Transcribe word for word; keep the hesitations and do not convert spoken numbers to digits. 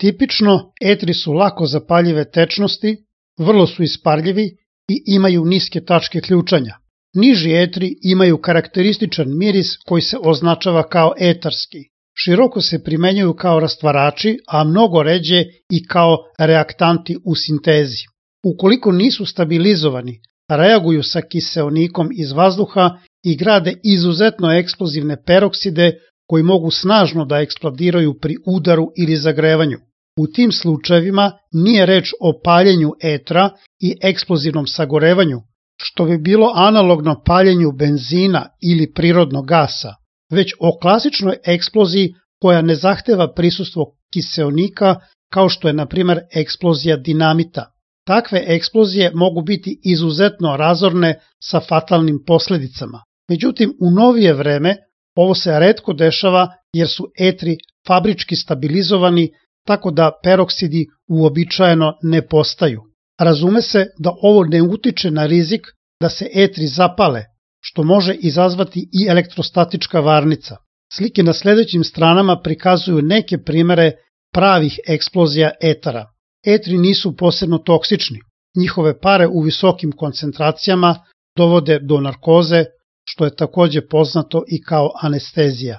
Tipično, etri su lako zapaljive tečnosti, vrlo su isparljivi i imaju niske tačke ključanja. Niži etri imaju karakterističan miris koji se označava kao etarski. Široko se primenjuju kao rastvarači, a mnogo ređe i kao reaktanti u sintezi. Ukoliko nisu stabilizovani, reaguju sa kiseonikom iz vazduha i grade izuzetno eksplozivne perokside koji mogu snažno da eksplodiraju pri udaru ili zagrevanju. U tim slučajevima nije reč o paljenju etra i eksplozivnom sagorevanju, što bi bilo analogno paljenju benzina ili prirodnog gasa, već o klasičnoj eksploziji koja ne zahteva prisustvo kiseonika kao što je na primer eksplozija dinamita. Takve eksplozije mogu biti izuzetno razorne sa fatalnim posledicama. Međutim, u novije vreme ovo se retko dešava jer su etri fabrički stabilizovani tako da peroksidi uobičajeno ne postaju. Razume se da ovo ne utiče na rizik da se etri zapale, što može izazvati i elektrostatička varnica. Slike na sledećim stranama prikazuju neke primere pravih eksplozija etara. Etri nisu posebno toksični. Njihove pare u visokim koncentracijama dovode do narkoze, što je takođe poznato i kao anestezija.